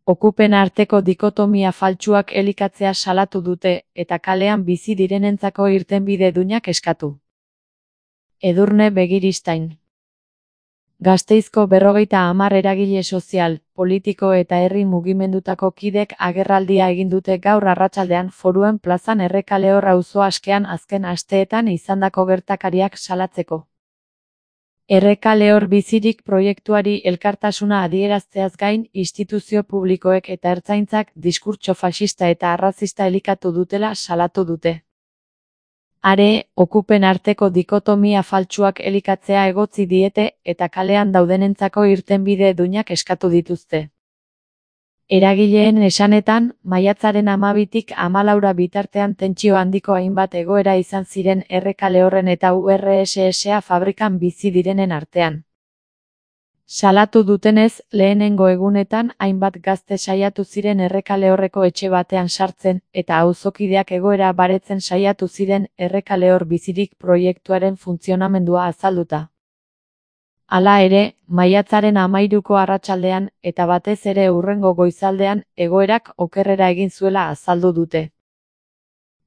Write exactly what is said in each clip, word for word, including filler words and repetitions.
okupen arteko dikotomia faltsuak elikatzea salatu dute eta kalean bizi direnentzako irtenbide duinak eskatu. Edurne Begiristain. Gasteizko berrogeita hamar eragile sozial, politiko eta herri mugimendutako kidek agerraldia egin dute gaur arratsaldean Foruen plazan Errekalehor auzo askean azken asteetan izandako gertakariak salatzeko. Errekalehor bizirik proiektuari elkartasuna adierazteaz gain, instituzio publikoek eta ertzaintzak diskurtso faxista eta arrazista elikatu dutela salatu dute. Are, okupen arteko dikotomia faltsuak elikatzea egotzi diete eta kalean daudenentzako irtenbide duinak eskatu dituzte. Eragileen esanetan, maiatzaren hamabitik hamalaura bitartean tentsio handiko hainbat egoera izan ziren Errekalehorren eta U R S S fabrikan bizi direnen artean. Salatu dutenez, lehenengo egunetan hainbat gazte saiatu ziren Errekalehorreko etxe batean sartzen eta auzokideak egoera baretzen saiatu ziren Errekalehor bizirik proiektuaren funtzionamendua azalduta. Hala ere, maiatzaren hamairuko arratsaldean eta batez ere hurrengo goizaldean egoerak okerrera egin zuela azaldu dute.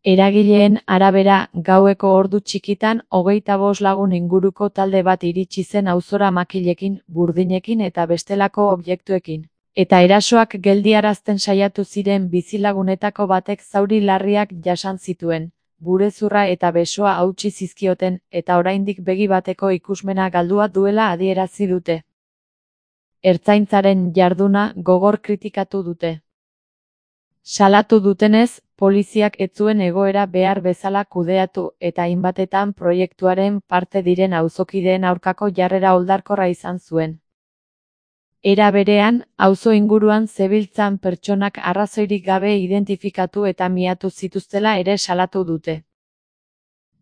Eragileen arabera, gaueko ordu txikitan hogeita bost lagun inguruko talde bat iritsi zen auzora makilekin, burdinekin eta bestelako objektuekin. Eta erasoak geldiarazten saiatu ziren bizilagunetako batek zauri larriak jasan zituen, burezurra eta besoa hautsi zizkioten eta oraindik begi bateko ikusmena galdua duela adierazi dute. Ertzaintzaren jarduna gogor kritikatu dute. Salatu dutenez, poliziak ez zuen egoera behar bezala kudeatu eta hainbatetan proiektuaren parte diren auzokideen aurkako jarrera oldarkorra izan zuen. Era berean, auzo inguruan zebiltzan pertsonak arrazoirik gabe identifikatu eta miatu zituztela ere salatu dute.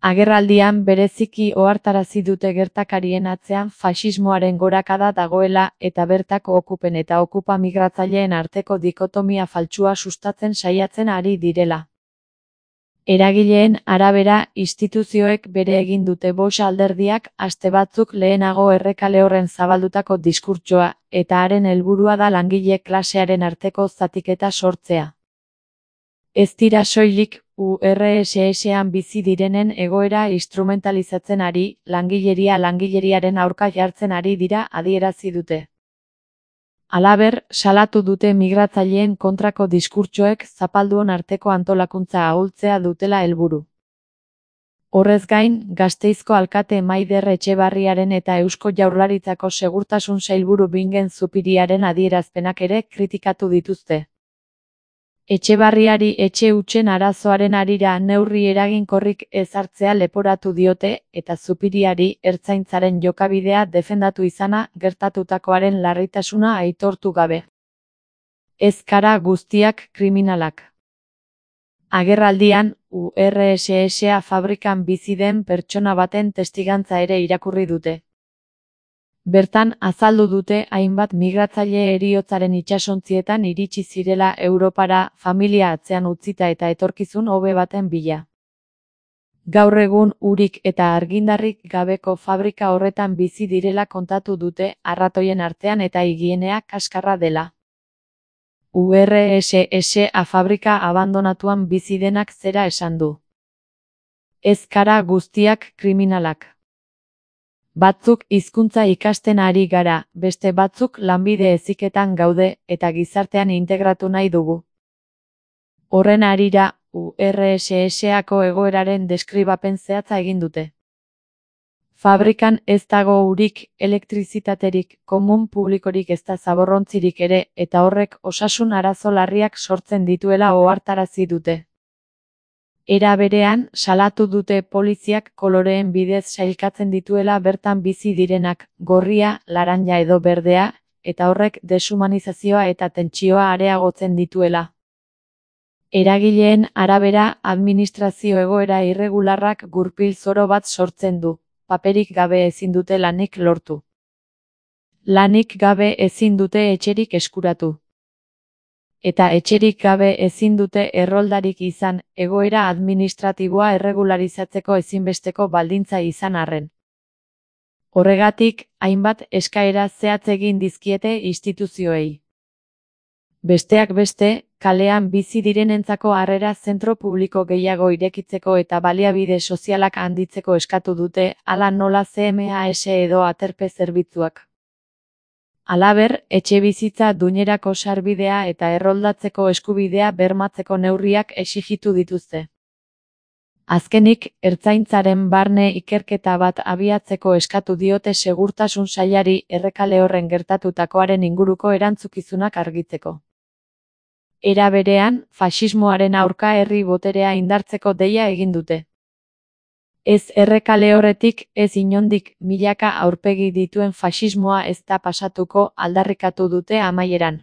Agerraldian bereziki ohartarazi dute gertakarien atzean faxismoaren gorakada dagoela eta bertako okupen eta okupa migratzaileen arteko dikotomia faltsua sustatzen saiatzen ari direla. Eragileen arabera, instituzioek bere egin dute bost alderdiak aste batzuk lehenago Errekalehorren zabaldutako diskurtsoa eta haren helburua da langile klasearen arteko zatiketa sortzea. Ez dira soilik U R S S-an bizi direnen egoera instrumentalizatzen ari, langileria langileriaren aurka jartzen ari dira adierazi dute. Halaber, salatu dute migratzaileen kontrako diskurtsoek zapalduon arteko antolakuntza ahultzea dutela helburu. Horrez gain, Gasteizko alkate Maider Etxebarriaren eta Eusko Jaurlaritzako Segurtasun Sailburu Bingen Zupiriaren adierazpenak ere kritikatu dituzte. Etxebarriari etxe hutsen arazoaren harira neurri eraginkorrik ez hartzea leporatu diote eta Zupiriari ertzaintzaren jokabidea defendatu izana gertatutakoaren larritasuna aitortu gabe. Ez gara guztiak kriminalak. Agerraldian, U R S S fabrikan bizi den pertsona baten testigantza ere irakurri dute. Bertan azaldu dute hainbat migratzaile heriotzaren itsasontzietan iritsi zirela Europara familia atzean utzita eta etorkizun hobe baten bila. Gaur egun urik eta argindarrik gabeko fabrika horretan bizi direla kontatu dute arratoien artean eta higienea kaskarra dela. U R S S fabrika abandonatuan bizi denak zera esan du. Ez gara guztiak kriminalak. Batzuk hizkuntza ikasten ari gara, beste batzuk lanbide heziketan gaude eta gizartean integratu nahi dugu. Horren harira, U R S S-ako egoeraren deskribapen zehatza egin dute. Fabrikan ez dago urik, elektrizitaterik, komun publikorik ezta zaborrontzirik ere eta horrek osasun arazo larriak sortzen dituela ohartarazi dute. Era berean, salatu dute poliziak koloreen bidez sailkatzen dituela bertan bizi direnak, gorria, laranja edo berdea, eta horrek deshumanizazioa eta tentsioa areagotzen dituela. Eragileen arabera, administrazio egoera irregularrak gurpil zoro bat sortzen du, paperik gabe ezin dute lanik lortu. Lanik gabe ezin dute etxerik eskuratu. Eta etxerik gabe ezin dute erroldarik izan, egoera administratiboa erregularizatzeko ezinbesteko baldintza izan arren. Horregatik, hainbat eskaera zehatz egin dizkiete instituzioei. Besteak beste, kalean bizi direnentzako harrera zentro publiko gehiago irekitzeko eta baliabide sozialak handitzeko eskatu dute, hala nola C M A S edo aterpe zerbitzuak. Halaber, etxebizitza duinerako sarbidea eta erroldatzeko eskubidea bermatzeko neurriak exijitu dituzte. Azkenik, ertzaintzaren barne ikerketa bat abiatzeko eskatu diote segurtasun sailari Errekale horren gertatutakoaren inguruko erantzukizunak argitzeko. Era berean, faxismoaren aurka herri boterea indartzeko deia egin dute. Ez Errekale horretik, ez inondik, milaka aurpegi dituen faxismoa ez da pasatuko, aldarrikatu dute amaieran.